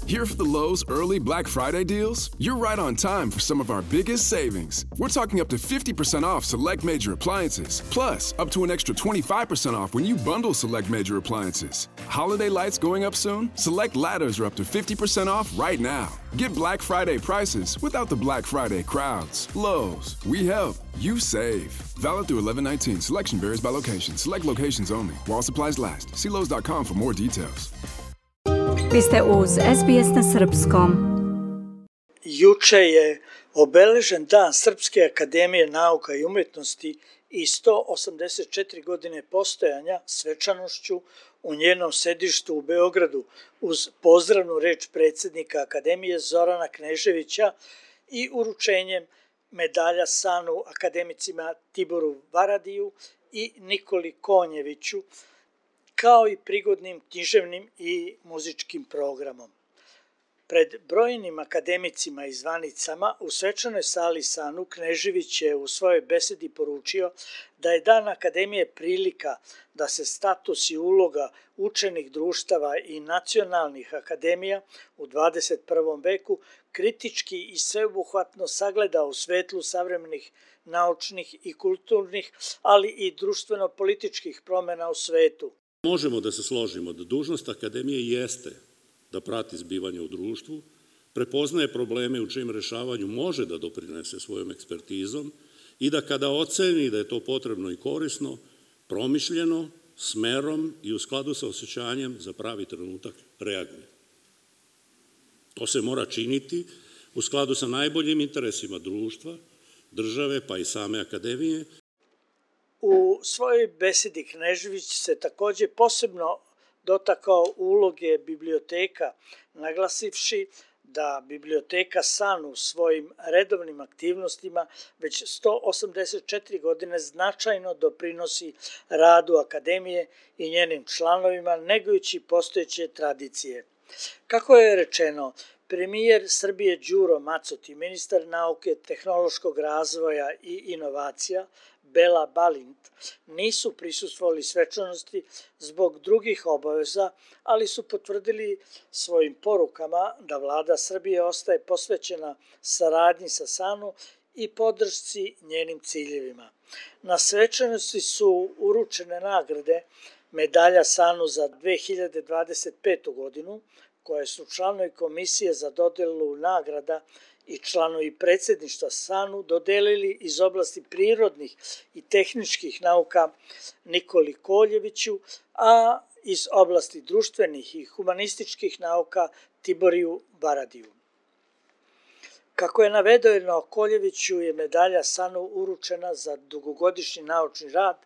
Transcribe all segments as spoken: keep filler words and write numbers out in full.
Here for the Lowe's early Black Friday deals? You're right on time for some of our biggest savings. We're talking up to fifty percent off select major appliances, plus up to an extra twenty-five percent off when you bundle select major appliances. Holiday lights going up soon? Select ladders are up to fifty percent off right now. Get Black Friday prices without the Black Friday crowds. Lowe's, we help, you save. Valid through eleven nineteen. Selection varies by location. Select locations only. While supplies last. See Lowe's dot com for more details. Vi ste uz S B S na srpskom. Juče je obeležen Dan Srpske akademije nauka i umjetnosti i sto osamdeset četiri godine postojanja svečanošću u njenom sedištu u Beogradu uz pozdravnu reč predsjednika Akademije Zorana Kneževića i uručenjem medalja Sanu akademicima Tiboru Varadiju i Nikoli Konjeviću, kao i prigodnim književnim i muzičkim programom. Pred brojnim akademicima i zvanicama u svečanoj sali Sanu Knežević je u svojoj besedi poručio da je Dan Akademije prilika da se status i uloga učenih društava i nacionalnih akademija u dvadeset prvom veku kritički i sveobuhvatno sagleda u svetlu savremenih naučnih i kulturnih, ali i društveno-političkih promjena u svetu. Možemo da se složimo da dužnost akademije jeste da prati zbivanje u društvu, prepoznaje probleme u čijem rešavanju može da doprinese svojom ekspertizom i da kada oceni da je to potrebno i korisno, promišljeno, smerom i u skladu sa osjećanjem za pravi trenutak reaguje. To se mora činiti u skladu sa najboljim interesima društva, države pa i same akademije. U svojoj besedi Knežević se također posebno dotakao uloge biblioteka, naglasivši da biblioteka San u svojim redovnim aktivnostima već sto osamdeset četiri godine značajno doprinosi radu akademije i njenim članovima, negujući postojeće tradicije. Kako je rečeno, premijer Srbije Đuro Macot i ministar nauke, tehnološkog razvoja i inovacija Bela Balint nisu prisustvovali svečanosti zbog drugih obaveza, ali su potvrdili svojim porukama da vlada Srbije ostaje posvećena saradnji sa Sanu i podršci njenim ciljevima. Na svečanosti su uručene nagrade medalja Sanu za dve hiljade dvadeset petu godinu, koje su članovi komisije za dodelu nagrada i članovi predsjedništva Sanu dodelili iz oblasti prirodnih i tehničkih nauka Nikoli Koljeviću, a iz oblasti društvenih i humanističkih nauka Tiboriju Varadiju. Kako je navedeno, Koljeviću je medalja Sanu uručena za dugogodišnji naučni rad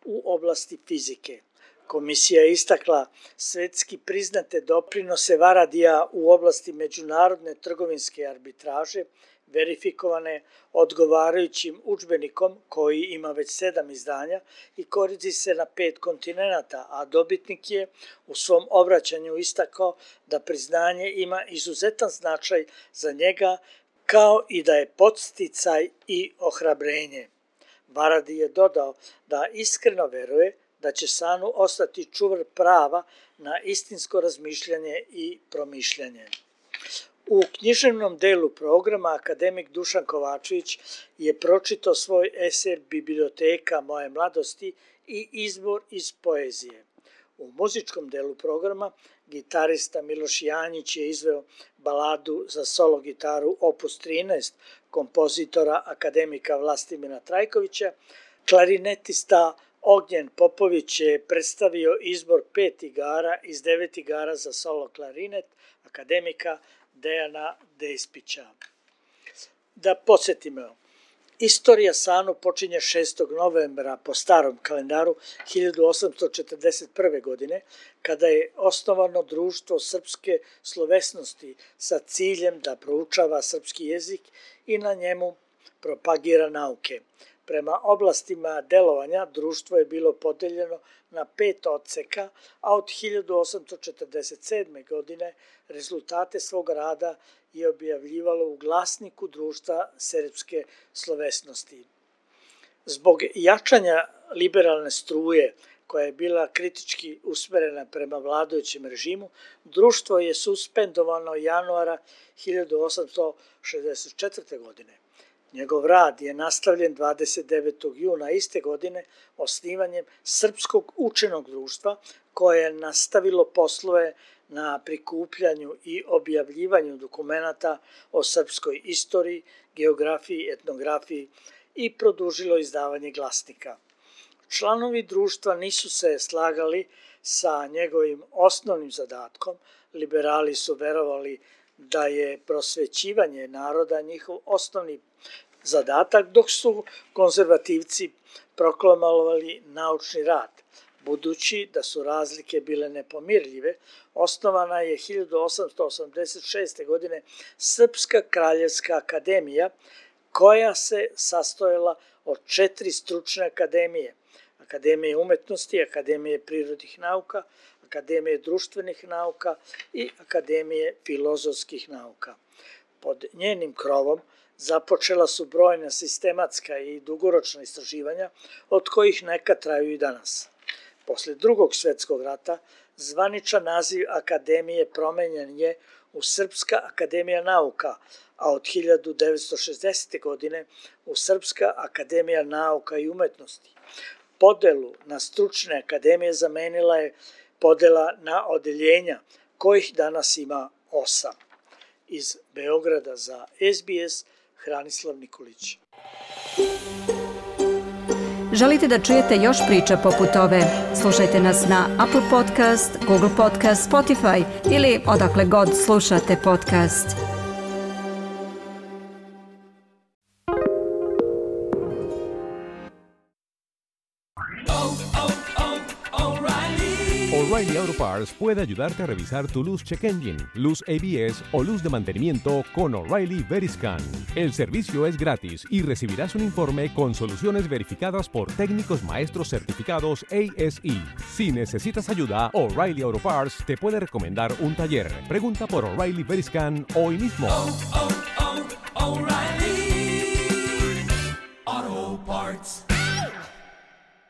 u oblasti fizike. Komisija je istakla svetski priznate doprinose Varadija u oblasti međunarodne trgovinske arbitraže, verifikovane odgovarajućim udžbenikom koji ima već sedam izdanja i koristi se na pet kontinenata, a dobitnik je u svom obraćanju istakao da priznanje ima izuzetan značaj za njega, kao i da je podsticaj i ohrabrenje. Varadi je dodao da iskreno veruje da će Sanu ostati čuvar prava na istinsko razmišljanje i promišljanje. U književnom delu programa akademik Dušan Kovačević je pročitao svoj esej Biblioteka moje mladosti i izbor iz poezije. U muzičkom delu programa gitarista Miloš Janjić je izveo baladu za solo gitaru opus trinaest kompozitora akademika Vlastimira Trajkovića, klarinetista Ognjen Popović je predstavio izbor pet igara iz devet igara za solo klarinet akademika Dejana Despića. Da podsjetimo, istorija Sanu počinje šestog novembra po starom kalendaru hiljadu osamsto četrdeset prve. godine, kada je osnovano Društvo srpske slovesnosti sa ciljem da proučava srpski jezik i na njemu propagira nauke. Prema oblastima delovanja društvo je bilo podeljeno na pet odseka, a od hiljadu osamsto četrdeset sedme. godine rezultate svog rada je objavljivalo u glasniku Društva srpske slovesnosti. Zbog jačanja liberalne struje koja je bila kritički usmerena prema vladajućem režimu, društvo je suspendovano januara hiljadu osamsto šezdeset četvrte. godine. Njegov rad je nastavljen dvadeset devetog juna iste godine osnivanjem Srpskog učenog društva, koje je nastavilo poslove na prikupljanju i objavljivanju dokumenata o srpskoj istoriji, geografiji, etnografiji i produžilo izdavanje glasnika. Članovi društva nisu se slagali sa njegovim osnovnim zadatkom. Liberali su verovali da je prosvećivanje naroda njihov osnovni zadatak, dok su konzervativci proklamovali naučni rad. Budući da su razlike bile nepomirljive, osnovana je hiljadu osamsto osamdeset šeste. godine Srpska kraljevska akademija, koja se sastojala od četiri stručne akademije: Akademije umetnosti, Akademije prirodnih nauka, Akademije društvenih nauka i Akademije filozofskih nauka. Pod njenim krovom započela su brojna sistematska i dugoročna istraživanja, od kojih neka traju i danas. Posle Drugog svetskog rata zvaničan naziv akademije promenjen je u Srpska akademija nauka, a od hiljadu devetsto šezdesete. godine u Srpska akademija nauka i umetnosti. Podelu na stručne akademije zamenila je podela na odeljenja, kojih danas ima osam. Iz Beograda za S B S, Hranislav Nikolić. Želite da čujete još priča poput ove? Slušajte nas na Apple Podcast, Google Podcast, Spotify ili odakle god slušate podcast. O'Reilly Auto Parts puede ayudarte a revisar tu luz check engine, luz A B S o luz de mantenimiento con O'Reilly Veriscan. El servicio es gratis y recibirás un informe con soluciones verificadas por técnicos maestros certificados A S E. Si necesitas ayuda, O'Reilly Auto Parts te puede recomendar un taller. Pregunta por O'Reilly Veriscan hoy mismo. Oh, oh, oh, O'Reilly Auto Parts.